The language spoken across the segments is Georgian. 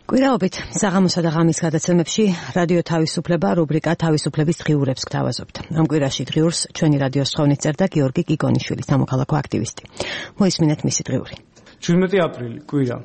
კვირაობით საღამოსა და ღამის გადაცემებში რადიო თავისუფლება რუბრიკა თავისუფლების დღიურებს გთავაზობთ. ამ კვირაში დღიურს ჩვენი რადიოს თხოვნით წერდა გიორგი გიგონიშვილი, სამოქალაქო აქტივისტი. მოისმინეთ მისი დღიური. 17 აპრილი, კვირა.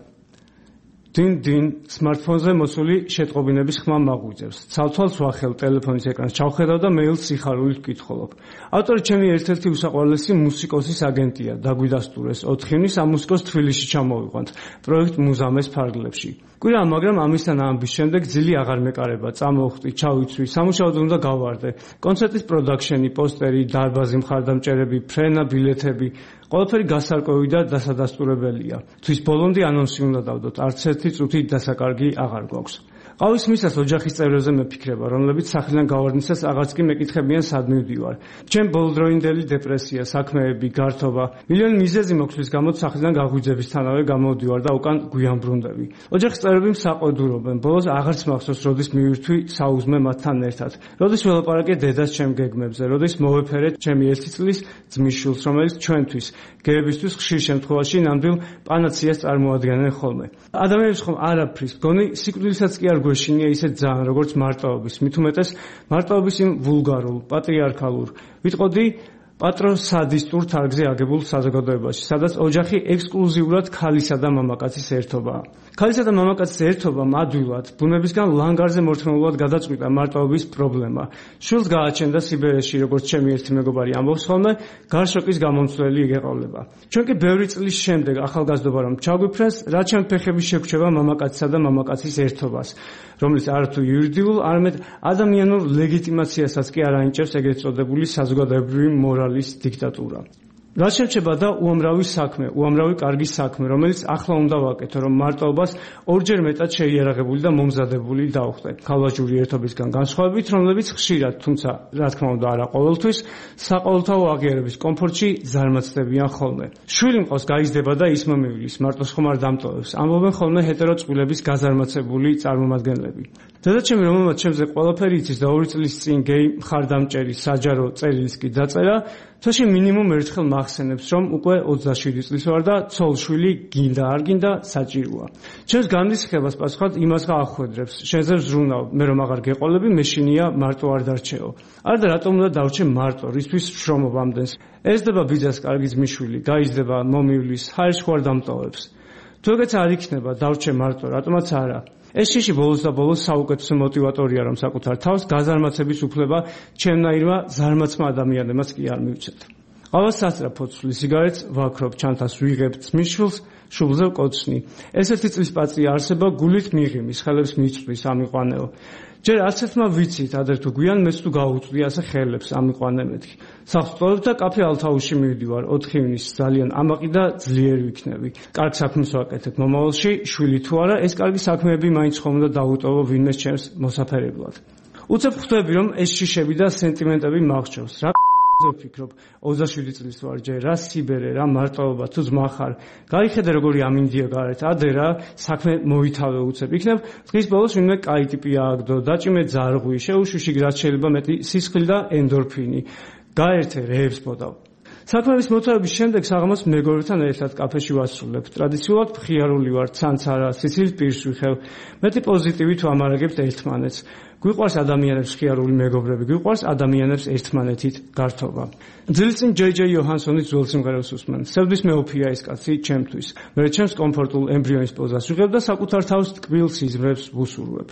დინ სმარტფონზე მოსული შეტყობინების ხმა მაღვიძებს. ცალ-თვალს ვახელ ტელეფონის ეკრანს ჩავხედავ და მეილს სიხარულით ვკითხულობ. ავტორი ჩემი ერთ-ერთი უსაყვარლესი მუსიკოსის აგენტია. დაგვიდასტურეს 4 ივნის ამ მუსიკოს თბილისში ჩამოვიყვანთ პროექტ მუზამეს ფარგლებში. კვირა, მაგრამ ამისთან ამბის შემდეგ ძილი აღარ მეკარება. წამოვხდი, ჩავიცვი, სამუშაოდ უნდა გავარდე. კონცერტის პროდაქშენი, პოსტერი, დარბაზი, მხარდამჭერები, ფრენა, ბილეთები, ყველაფერი გასარკვევი და დასადასტურებელია. თვის ბოლომდე ანონსი უნდა დავდოთ, არც ერთი წუთი დასაკარგი აღარ გვაქვს. ყავის მისას ოჯახის წევრებზე მეფიქრება, რომლებიც სახლიდან გავარდნისას აღარც კი მეკითხებიან სად მივდივარ. ჩემ ბოლოდროინდელი დეპრესია, საქმეები, გართობა, მილიონი მიზეზი მოხდის გამო სახლიდან გაღვიძებისთანავე გამოვდივარ და უკან გვიან ბრუნდები. ოჯახის წევრები მსაყვედურობენ, ბოლოს აღარც მახსოვს, როდის მივირთვი საუზმე მათთან ერთად. როდის ველაპარაკე დედას ჩემ გეგმებზე, როდის მოვეფერე ჩემი 1 წლის ძმის შვილს, რომელიც ჩვენთვის, გეებისთვის ხშირ შემთხვევაში ნამდვილ პანაციას წარმოადგენენ ხოლმე. ადამიანებს ხომ არაფრის გონი სიკვდილსაც კი არ გვეშინია ისე ძალიან, როგორც მარტოობის, მით უმეტეს მარტოობის იმ ვულგარულ, პატრიარქალურ, ვიტყოდი პატროსადისტურ თარგზე აგებულ საზოგადოებაში, სადაც ოჯახი ექსკლუზიურად ქალისა და მამაკაცის ერთობაა. ქალისა და მამაკაცის ერთობამ ადვილად, ბუნებისგან ლანგარზე მორთმეულად გადაწყვიტა მარტოობის პრობლემა. შვილს გააჩენდა სიბერეში, როგორც ჩემი ერთი მეგობარი ამბობს ხოლმე, გარშოკის გამომცვლელი იგეყოლება. ჩვენ კი ბევრი წლის შემდეგ ახალგაზრდობა რომ ჩაგვიფრენს, რა ჩემ ფეხები შეგრჩება მამაკაცისა და მამაკაცის ერთობას, რომელიც არათუ იურიდიულ, არამედ ადამიანურ ლეგიტიმაციასაც კი არ ანიჭებს ეგრეთ წოდებული საზოგადოებრივი მორალის დიქტატურა. რაც შემჩება და უამრავი საქმე, უამრავი კარგი საქმე, რომელიც ახლა უნდა ვაკეთო, რომ მარტოობას ორჯერ მეტად შეიარაღებული და მომზადებული დავხდე. ქალვაჟური ერთობისგან განსხვავებით, რომლებიც ხშირად, თუმცა რა თქმა უნდა არა ყოველთვის, საყოველთაო აღიარების კომფორტში ზარმაცდებიან ხოლმე. შვილი მყავს გაიზრდება და ის მომივლის, მარტოს ხომ არ დამტოვებს. ამბობენ ხოლმე ჰეტერო წყვილების გაზარმაცებული წარმომადგენლები. დედაჩემი, რომელმაც ჩემზე ყველაფერი იცის და 2 წლის წინ გეი მხარდამჭერი საჯარო წერილის კი დაწერა, თოში მინიმუმ ერთხელ მახსენებს, რომ უკვე 27 წლის ვარ და ცოლ-შვილი გინდა არ გინდა საჭიროა. ჩემს განრისხებას პასუხად იმას გაახვედრებს, შენზე ვზრუნავ, მე რომ აღარ გეყოლები, მეშინია მარტო არ დარჩეო. არა და რატომ უნდა დავრჩე მარტო, რისთვის ვშრომობ ამდენს. ესდება ბიძას კარგი ძმისშვილი, გაიზრდება, მომივლის, ჰაერში ხوار დამტოვებს. თუ ეგეც არ იქნება, დავრჩე მარტო, რატომაც არა. ეს შიში ბოლოს და ბოლოს საუკეთესო მოტივატორია, რომ საკუთარ თავს გაზარმაცების უფლება ჩემნაირმა ზარმაცმა ადამიანებმაც კი არ მივცეთ. ყავას სასწრაფოდ ვცვლი სიგარეტს, ვაქრობ, ჩანთას ვიღებ ძმისშვილს, შუბლზე ვკოცნი. ეს 1 წლის პაწია არსება გულით მიღიმის, ხელებს მიწვრის ამიყვანეო. ჯერ არც ერთმა ვიცით, ადრე თუ გვიან მეც თუ გავუწვდი ასე ხელებს ამიყვანე მეთქი. სახლწოდებ და კაფე ალთაუში მივდივარ 4 ივნის, ძალიან ამაყი და ძლიერი ვიქნები. კარგ საქმეს ვაკეთებ მომავალში, შვილი თუ არა, ეს კარგი საქმეები მაინც ხომ უნდა დაუტოვო ვინმე ჩემს მოსაფერებლად. უცებ ხვდები, რომ ეს შიშები და სენტიმენტები მახრჩევს. რა ვფიქრობ, 27 წლის ვარ ჯერ, რა სიბერე, რა მარტოობა, თუ ძმა ხარ. გაიხედე როგორი ამინდია გარეთ, ადრე რა საქმე მოითავე უცებ. იქნებ დღის ბოლოს ვინმე კაი ტიპი ააგდო, დაჭიმე ძარღვი, შეუშვიში რაც შეიძლება მეტი სისხლი და ენდორფინი. გაერთე რეებს მოდავ. საქმეების მოთავების შემდეგ საღამოს მეგობრებთან ერთად კაფეში ვასრულებ. ტრადიციულად მხიარული ვარ, ცანცარა, სიცილის პირს ვიხევ. მეტი პოზიტივით ვამარაგებთ ერთმანეთს. გვიყვარს ადამიანებს მხიარული მეგობრები, გვიყვარს ადამიანებს ერთმანეთით გართობა. ძილის წინ ჯეი იოჰანსონის ძველ სიმღერას უსმენ. სევდის მეოფია ეს კაცი ჩემთვის. მე ჩემს კომფორტულ ემბრიონის პოზას ვიღებ და საკუთარ თავს ტკბილ სიზმრებს ვუსურვებ.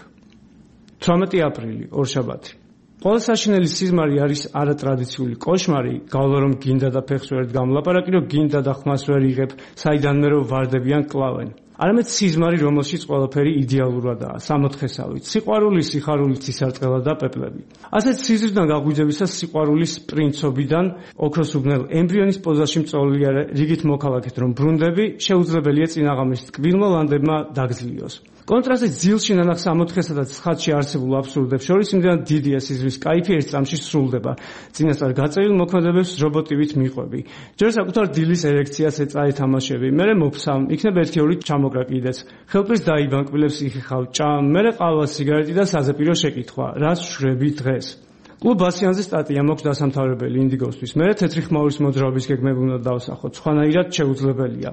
18 აპრილი, ორშაბათი. ყველა საშინელი სიზმარი არის არატრადიციული კოშმარი, გავლა რომ გინდა და ფეხს ვერ გამლაპარაკი, რომ გინდა და ხმას ვერ იღებ, საიდანმე რომ ვარდებიან კლავენ. არამედ სიზმარი, რომელშიც ყველაფერი იდეალურადაა, სამოთხესავით, სიყვარული, სიხარული, ცისარტყელა და პეპლები. ასეთ სიზმრიდან გაგვიძებისას სიყვარულის პრინცობიდან ოქროს უბნელ ემბრიონის პოზაში მწოლილი რიგით მოქალაქეთ, რომ ბრუნდები შეუძლებელია წინაღამის ტკბილმა ლანდებმა დაგძლიოს. კონტრასტი ძილში ნანახ სამოთხესა და ცხადში არსებულ აბსურდებს შორის იმდენად დიდია სიზმრის კაიფი ერთ წამში სრულდება. წინასწარ გაწერილ მოქმედებებს რობოტივით მიყვები. ჯერ საკუთარ დილის ერექციას ეწაე თამაშები, მერე მოფსამ, იქნებ 1-2 ჩამოკრა კიდეც. ხელფრის დაიბანკბილებს იხიხავ, ჭამ, მერე ყავა, სიგარეტი და საზეპირო შეკითხვა. რას ვშრები დღეს? კლუბ ბასიანზე სტატია მოქვს დასამთავრებელი ინდიგოსთვის. მერე თეთრი ხმაურის მოძრაობის გეგმები უნდა დავსახოთ, სხვანაირად შეუძლებელია.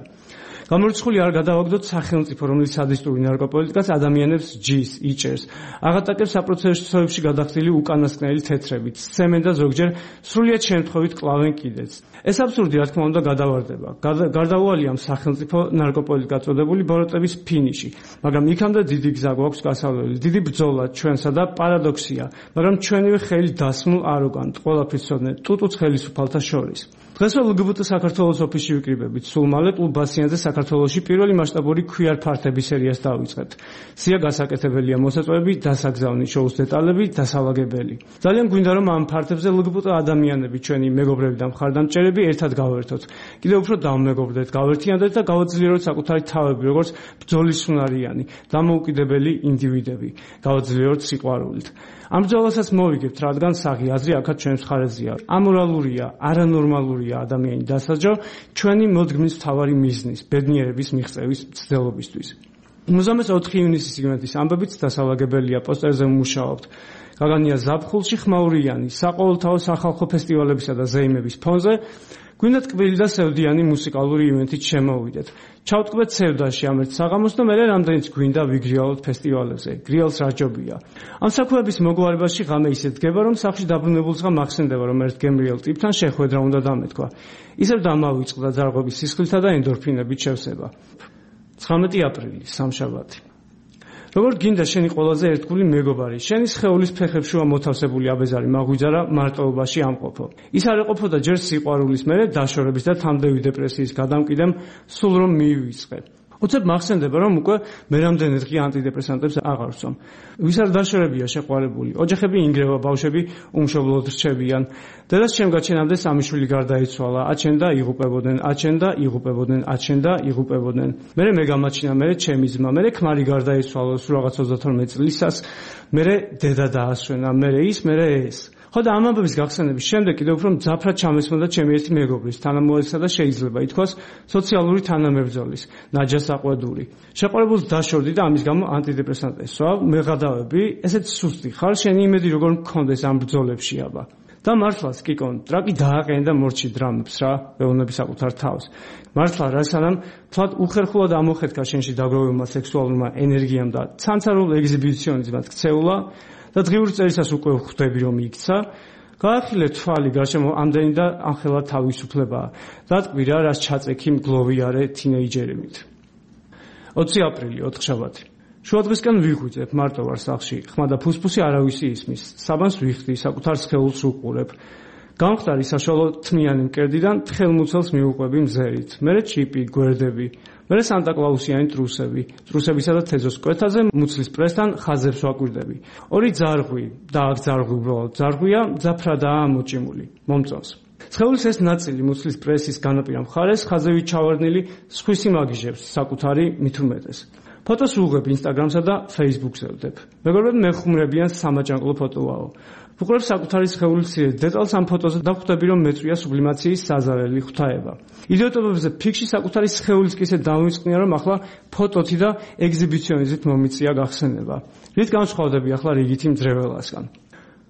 გამორიცხული არ გადავაგდოთ სახელმწიფო, რომელიც სადისტური ნარკოპოლიტიკას ადამიანებს ჯის, იჭერს. აღატაკებს საპროცესოებში გადახდილი უკანასკნელი თეთრებით, სცემენ და ზოგჯერ სრულიად შემთხვევით კლავენ კიდეც. ეს აბსურდი, რა თქმა უნდა, გადავარდება. გარდაუვალია სახელმწიფო ნარკოპოლიტიკა წოდებული ბოროტების ფინიში, მაგრამ იქამდე დიდი გზა გვაქვს გასავლელი, დიდი ბრძოლა ჩვენსა და პარადოქსია, მაგრამ ჩვენივე ხელი დასმულ აროგანტ, ყველაფრის ცოდნე ტუტუც ხელისუფალთა შორის. დღესვე LGBT საქართველოს ოფისში ვიკრიბებით. სულ მალე კლუბ ბასიანზე საქართველოში პირველი მასშტაბური queer ფართების სერიას დავიწყებთ. სია გასაკეთებელია მოსაწვევები, დასაგზავნი შოუს დეტალები, დასალაგებელი. ძალიან გვინდა რომ ამ ფართებზე LGBT ადამიანები, ჩვენი მეგობრები და მხარდამჭერები ერთად გავერთოთ. კიდევ უფრო დავმეგობრდეთ, გავერთიანდეთ და გავაძლიეროთ საკუთარი თავები, როგორც ბრძოლის უნარიანი, დამოუკიდებელი ინდივიდები. გავაძლიეროთ სიყვარულით. ამ ბრძოლასაც მოვიგებთ, რადგან საღი აზრი აქაც ჩვენს მხარეზეა. ამორალურია, არანორმალურია ადამიანი დასაჯო ჩვენი მოდგმის მთავარი მიზნის, ბედნიერების მიღწევის მცდელობისთვის. 24 ივნისის სიგნალის ამბებით დასალაგებელია პოსტერზე ვმუშაობთ. გაგანია ზაფხულში ხმაურიანი, საყოველთაო სახალხო ფესტივალებისა და ზეიმების ფონზე გვინდა ტკბილი და სევდიანი მუსიკალური ივენთით შემოვიდეთ. ჩავტკბეთ სევდაში ამ ერთ საღამოს და მერე რამდენიც გვინდა ვიგრიალოთ ფესტივალებზე. გრიალს რაჯობია. ამ საქმეების მოგვარებაში ღამე ისე დგება, რომ სახლში დაბრუნებულს გამახსენდება, რომ ერთ გემრიელ ტიპთან შეხვედრა უნდა დამეთქვა. ისევ დამავიწყდა ძარღვების სისხლითა და ენდორფინებით შევსება. 19 აპრილი, სამშაბათი. როგორც გინდა შენი ყველაზე ერთგული მეგობარი, შენი სხეულის ფეხებშუა მოთავსებული აბეზარი მაგვიძარა მარტოობაში ამყოფო. ის არ ეყოფოდა ჯერ სიყვარულის, მერე დაშორების და თამდევი დეპრესიის გადამკიდემ, სულ რომ მიივიწყე. უცებ მახსენდება, რომ უკვე მერამდენე დღე ანტიდეპრესანტებს აღარ ვსვამ. ვის არ დაშორებია შეყვარებული, ოჯახები ინგრევა, ბავშვები უმშობლოდ რჩებიან. დედას შემგაჩენამდე სამი შვილი გარდაიცვალა, აჩენდა იღუპებოდნენ, აჩენდა იღუპებოდნენ, აჩენდა იღუპებოდნენ. მერე მე გამაჩინა, მერე ჩემი ძმა, მერე ქმარი გარდაიცვალა სულ რაღაც 32 წლისას, მერე დედა დაასვენა, მერე ის, მერე ეს. ხო და ამ ამბების გახსენების შემდეგ კიდევ უფრო მძაფრად ჩამესმოდა ჩემი ერთი მეგობრის, თანამოეცსა და შეიძლება ითქვას სოციალური თანამებრძოლის, ნაჯა საყვედური. შეყვარებულს დაშორდი და ამის გამო ანტიდეპრესანტი ესვა, მეღადავები, ესეც სუსტი ხარ, შენი იმედი როგორ მქონდეს ამ ბრძოლებში აბა. და მართლაც კიკონ, ტრაკი დააყენა და მორჩი დრამებს რა, ეუბნები საკუთარ თავს. მართლა რა სანამ თვად უხერხულად ამოხეთქა შენში დაგროვებულმა სექსუალურმა ენერგიამ და ცანცარულ ეგზიბიციონიზმად ქცეულა და დღიური წერისას უკვე ხვდები რომ იქცა, გაახილე თვალი გარშემო ამდენი და ახლა თავისუფლებაა. დატყვი რა, რას ჩაწექი მგლოვიარე თინეიჯერებით. 20 აპრილი, ოთხშაბათი. შუადღისკენ ვიღვიძებ, მარტო ვარ სახლში, ხმა და ფუსფუსი არავისი ისმის, საბანს ვიხდი, საკუთარ სხეულს ვუყურებ. გამხდარი საშუალო თმიანი მკერდიდან თხელმუცელს მიუყვები მზერით, მერე ჩიპი, გვერდები, მერე სანტა-კლაუსიანი ტრუსები, ტრუსებისა და თეზოს კვეთაზე მუცლის პრესთან ხაზებს ვაკვირდები. ორი ძარღვი და აქ ძარღვი უბრალოდ ძარღვია, მძაფრადაა მოჭიმული, მომწონს. სხეულის ეს ნაწილი მუცლის პრესის განაპირა მხარეს ხაზევით ჩავარდნილი სხვისი მაგიჟებს საკუთარი მithumetes. ფოტოს ვუღებ ინსტაგრამსა და ფეისბუქზე ვდებ. მეგობრები მეხუმრებიან სამაჯანყლო ფოტოაო. ვუყურებ საკუთარი სხეულის დეტალს ამ ფოტოზე და ხვდები რომ მეწვია სუბლიმაციის საზარელი ღვთაება. იდიოტობებზე ფიქში საკუთარი სხეულის კი ისე დავიმწყნია რომ ახლა ფოტოთი და ეგზიბიციონიზმით მომიწია გახსენება. რით განსხვავდები ახლა რიგითი მძრეველასგან.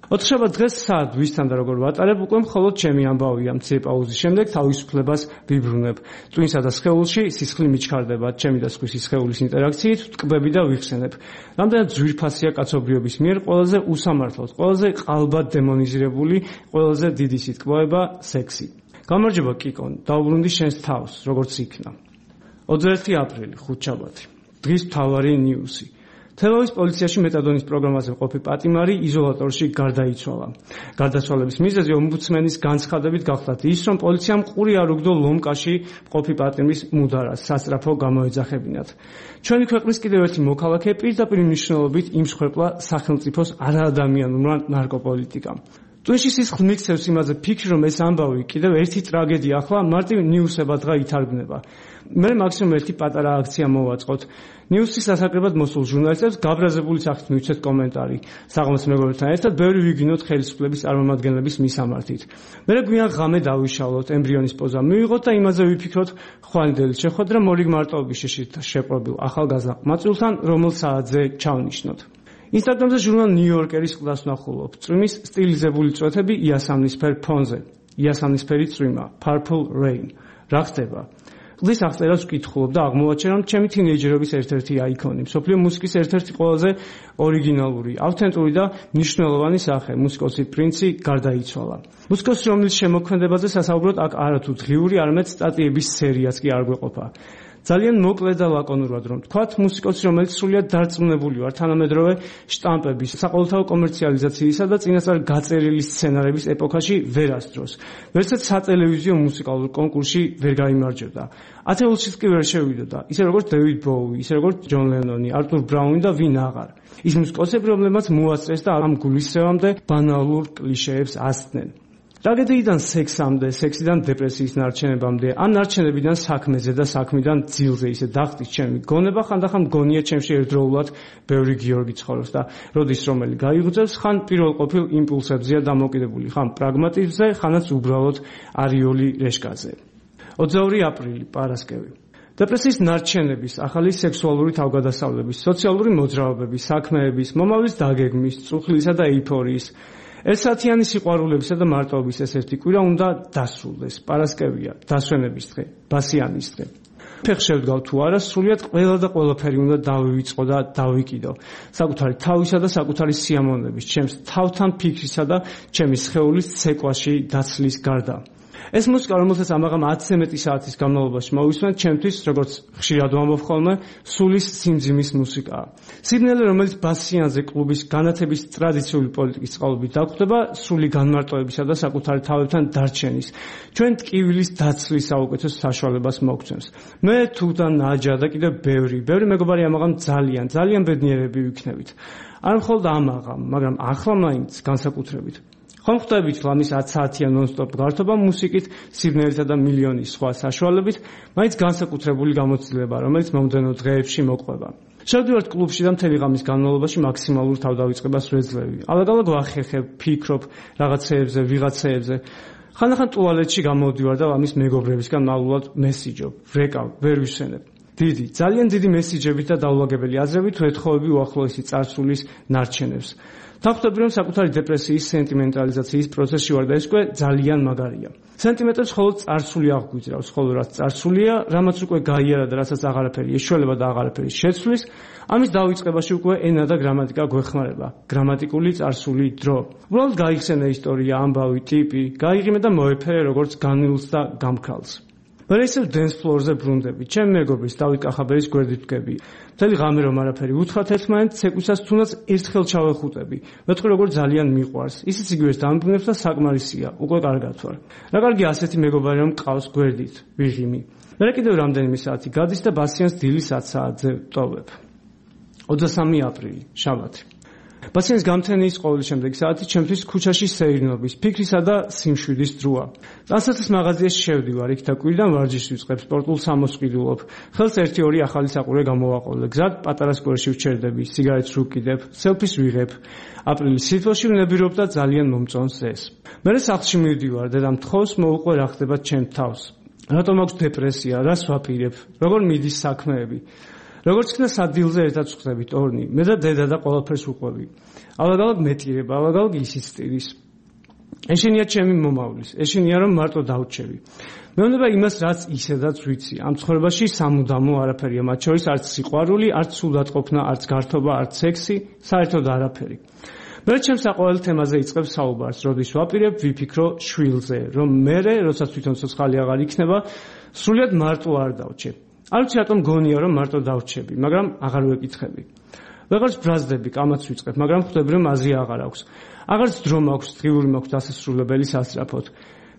ოთხშაბათ დღეს საათ ვისთან და როგორ ვატარებ, უკვე მხოლოდ ჩემი ამბავია. მცირე პაუზის შემდეგ თავისუფლებას ვიბრუნებ. ტვინსა და სხეულში სისხლი მიჩქარდება, ჩემი და სხვისი სხეულის ინტერაქციით ვტკბები და ვიხსენებ. რამდენად ძვირფასია კაცობრიობის მიერ ყველაზე უსამართლოდ, ყველაზე ყალბად დემონიზირებული, ყველაზე დიდი სიტყვაება სექსი. გამარჯობა კიკონ, დავუბრუნდი შენს თავს, როგორც იქნა. 21 აპრილი, ხუთშაბათი. დღის მთავარი ნიუსი. თელავის პოლიციაში მეტადონის პროგრამაზე მყოფი პატიმარი იზოლატორში გარდაიცვალა. გარდაცვალების მიზეზი ომბუდსმენის განცხადებით გახლდათ ის, რომ პოლიციამ ყური არ უგდო ლომკაში მყოფი პატიმრის მუდარას სასწრაფო გამოეძახებინათ. ჩვენი ქვეყნის კიდევ ერთი მოქალაქე პირდაპირ მნიშვნელობით იმსხვერპლა სახელმწიფოს არაადამიანურმა ნარკოპოლიტიკამ. ტვინში სისხლს მიქცევს იმაზე ფიქრი, რომ ეს ამბავი კიდევ ერთი ტრაგედია ახლა მარტივ ნიუსებადღა ითარგმნება. მე მაქსიმუმ ერთი პატარა აქცია მოვაწყოთ. ნიუსის სასაკრებად მოსულ ჟურნალისტებს გაბრაზებული სახით მივცეთ კომენტარი. საღამოს მეგობრებთან ერთად ბევრი ვიგინოთ ხელისუფლების წარმომადგენლების მისამართით. მე გვიან ღამე დავიშალოთ, ემბრიონის პოზა მივიღოთ და იმაზე ვიფიქროთ ხვალინდელი შეხვედრა მორიგ მარტოობის შეპყრობილ ახალგაზრდა ყმაწვილთან, რომელ საათზე ჩავნიშნოთ. ინსტაგრამზე ჟურნალ ნიუ-იორკერის ყდას ვნახულობ. წვიმის სტილიზებული წვეთები იასამნისფერ ფონზე. იასამნისფერი წვიმა, Purple Rain. რა ხდება? კლდის აღწერას ვკითხულობ და აღმოვაჩენ, რომ ჩემი თინეიჯერობის ერთ-ერთი აიკონი, მსოფლიო მუსიკის ერთ-ერთი ყველაზე ორიგინალური, ავთენტური და მნიშვნელოვანი სახე, მუსიკოსი პრინცი გარდაიცვალა. მუსიკოსი, რომლის შემოქმედებაზე სასაუბროთ აქ არათუ დღიური, არამედ სტატიების სერიაც კი არ გვეყოფა. ძალიან მოკლედ და ლაკონურად რომ თქვათ, მუსიკოსი, რომელიც სრულიად დარწმუნებული ვარ თანამედროვე შტამპების, საყოველთაო კომერციალიზაციისა და წინასწარ გაწერილი სცენარების ეპოქაში ვერ ასდროს. ვერცად სატელევიზიო მუსიკალურ კონკურსში ვერ გაიმარჯვებდა. ათეულშიც კი ვერ შევიდოდა, ისე როგორც დევიდ ბოუი, ისე როგორც ჯონ ლენონი, არტურ ბრაუნი და ვინ აღარ. ის მუსიკოსები, რომლებმაც მოასწრეს და ამ გულისრევამდე ბანალურ კლიშეებს ასწნენ. ტრაგედიიდან სექსამდე, სექსიდან დეპრესიის ნარჩენებამდე, ამ ნარჩენებიდან საქმეზე და საქმიდან ძილზე ისე დახტის ჩემი გონება, ხანდახან მგონია ჩემში ერთდროულად ბევრი გიორგი ცხოვრობს და როდის რომელი გაიღვწევს, ხან პირველ ყოფილ იმპულსებზეა დამოკიდებული, ხან პრაგმატიზმზე, ხანაც უბრალოდ არიული რეშკაზე. 22 აპრილი, პარასკევი. დეპრესიის ნარჩენების, ახალი სექსუალური თავგადასავლების, სოციალური მოძრაობების, საქმეების, მომავლის დაგეგმის, წუხლისა და ეიფორიის, ერთსაათიანი სიყვარულებისა და მარტოობის ეს ერთი კვირა უნდა დასრულდეს. პარასკევია, დასვენების დღე, ბასიანის დღე. ფეხ შევდგავ თუ არა, სრულიად ყველა და ყველაფერი უნდა დავივიწყო და დავიკიდო. საკუთარი თავისა და საკუთარი სიამოვნების, ჩემს თავთან ფიქრისა და ჩემი სხეულის ცეკვაში დაცლის გარდა. ეს მუსიკა, რომელსაც ამაღამ 10-ზე მეტი საათის განმავლობაში მოვისმენ, ჩემთვის, როგორც ხშირად ვამბობ ხოლმე, სულის სიმძიმის მუსიკაა. სიბნელე, რომელიც ბასიანზე კლუბის განათების ტრადიციული პოლიტიკის წყალობით დაგვხვდება, სრული განმარტოებისა და საკუთარი თავებთან დარჩენის, ჩვენ ტკივილის დაცლის საუკეთესო საშუალებას მოგცემს. მე თუთა ნაჯა და კიდევ ბევრი მეგობარი ამაღამ ძალიან ბედნიერები ვიქნებით. არ მხოლოდ ამაღამ, მაგრამ ახლა მაინც განსაკუთრებით. ხომ ხვდებით ლამის 10 საათიან ნონ-სტოპ გართობა მუსიკით, სიბნელითა და მილიონი სხვა საშუალებით, მაინც განსაკუთრებული გამოცდილება, რომელიც მომდენო დღეებში მოყვება. შევდივართ კლუბში და მთელი ღამის განმავლობაში მაქსიმალურ თავდავიწყებას ვეძლევი. ალაგ-ალაგ ვახერხებ, ფიქრობ რაღაცეებზე, ვიღაცეებზე. ხანდახან ტუალეტში გამოვდივარ და ლამის მეგობრებისგან მალულად მესიჯობ, ვრეკავ, ვერ ვისვენებ. ძალიან დიდი მესიჯებით და დაულაგებელი აზრებით ვეთხოვები უახლოესი წარსულის ნარჩენებს. თავხდები, რომ საკუთარი დეპრესიის სენტიმენტალიზაციის პროცესში ვარ და ეს უკვე ძალიან მაგარია. სენტიმენტებს მხოლოდ წარსული აღგვიძრავს, ხოლო რაც წარსულია, რამაც უკვე გაიარა და რასაც აღარაფერი ეშველება და აღარაფერი შეცვლის, ამის დავიწყებაში უკვე ენა და გრამატიკა გვეხმარება. გრამატიკული წარსული დრო. უბრალოდ გაიხსენე ისტორია, ამბავი, ტიპი, გაიღიმე და მოეფერე როგორც განილს და გამქრალს. მერე ისევ დენს ფლორზე ბრუნდები, ჩემი მეგობრის დავით კახაბერის გვერდით ვდგები. მთელი ღამე რომ არაფერი უთხრათ ერთმანეთს, ცეკვისას თუნდაც ერთხელ ჩავეხუტები. მეთქი როგორ ძალიან მიყვარს. ისიც იგივეს დამბრუნებს და საკმარისია, უკვე კარგად ვარ. რა კარგია ასეთი მეგობარი რომ მყავს გვერდით, ვიღიმი. მერე კიდევ რამდენიმე საათი გადის და ბასიანს დილის 10 საათზე ვტოვებ. 23 აპრილი, შაბათი. ბასიანის გამთენის ყოველი შემდეგი საათი ჩემთვის ქუჩაში სეირნობის, ფიქრისა და სიმშვიდის დროა. დასაცის მაღაზიაში შევდივარ, იქ და კვირიდან ვარჯიშს ვიწყებ, სპორტულ სამოს ვყიდულობ. ხელს 1-2 ახალი საყურე გამოვაყოლე. გზად პატარა სკვერში ვჩერდები, სიგარეტს ვუკიდებ, სელფის ვიღებ. აპრილის სითბოში ვნებირობ და ძალიან მომწონს ეს. მერე სახლში მივდივარ, დედამ თხოვს, მოუყვე რა ხდება ჩემ თავს. რატომ აქვს დეპრესია, რას ვაპირებ, როგორ მიდის საქმეები. როგორც ხნა სადილზე ერთად ვხდებით ორნი, მე და დედა და ყველაფერს ვუყვები. ალაგ-ალაგ მეტირება, ალაგ-ალაგ ისიც ტირის. ეშენია ჩემი მომავლის, ეშენია რომ მარტო დავრჩები. მეუბნება იმას, რაც ისედაც ვიცი. ამ ცხოვრებაში სამუდამო არაფერია, მათ შორის არც სიყვარული, არც სულდატყოფნა, არც გართობა, არც სექსი, საერთოდ არაფერი. მე ჩემს საყვარელ თემაზე იწყებს საუბარს, როდის ვაპირებ, ვიფიქრო შვილზე, რომ მე, როდესაც თვითონ ცოცხალი აღარ იქნება, სრულიად მარტო არ დავრჩებ. არ ვიცი რატომ გონია რომ მარტო დავრჩები, მაგრამ აღარ ვეკითხები. ვეღარც ბრაზდები, კამაც ვიწყებ, მაგრამ ხვდები რომ აზრი აღარ აქვს. აღარც დრო მაქვს, დღიური მაქვს დასასრულებელი სასწრაფოდ.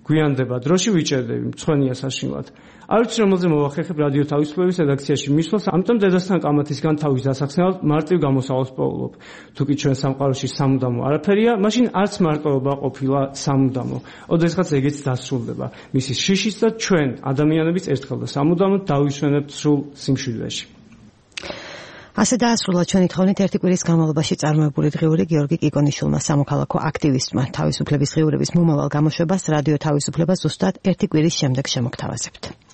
გვიანდება, დროში ვიჭერდები, მწვენია საშინლად. არ ვიცი რომელზე მოვახერხებ რადიო თავისუფლების რედაქციაში მისვლას, ამიტომ დედასთან კამათისგან თავის დასახსნელად მარტივ გამოსავალს პოულობ. თუკი ჩვენ სამყაროში სამუდამო არაფერია, მაშინ არც მარტოობა ყოფილა სამუდამო. ოდესღაც ეგეც დასრულდება. მისი შიშიც და ჩვენ ადამიანების ერთხელ და სამუდამოდ დავისვენებთ სრულ სიმშვიდეში. ასე დაასრულა ჩვენი თხოვნით ერთი კვირის განმავლობაში წარმოებული დღიური გიორგი კიკონიშვილმა, სამოქალაქო აქტივისტმა, თავისუფლების დღიურების მომავალ გამოშვებას რადიო თავისუფლება ზუსტად ერთი კვირის შემდეგ შემოგთავაზებთ.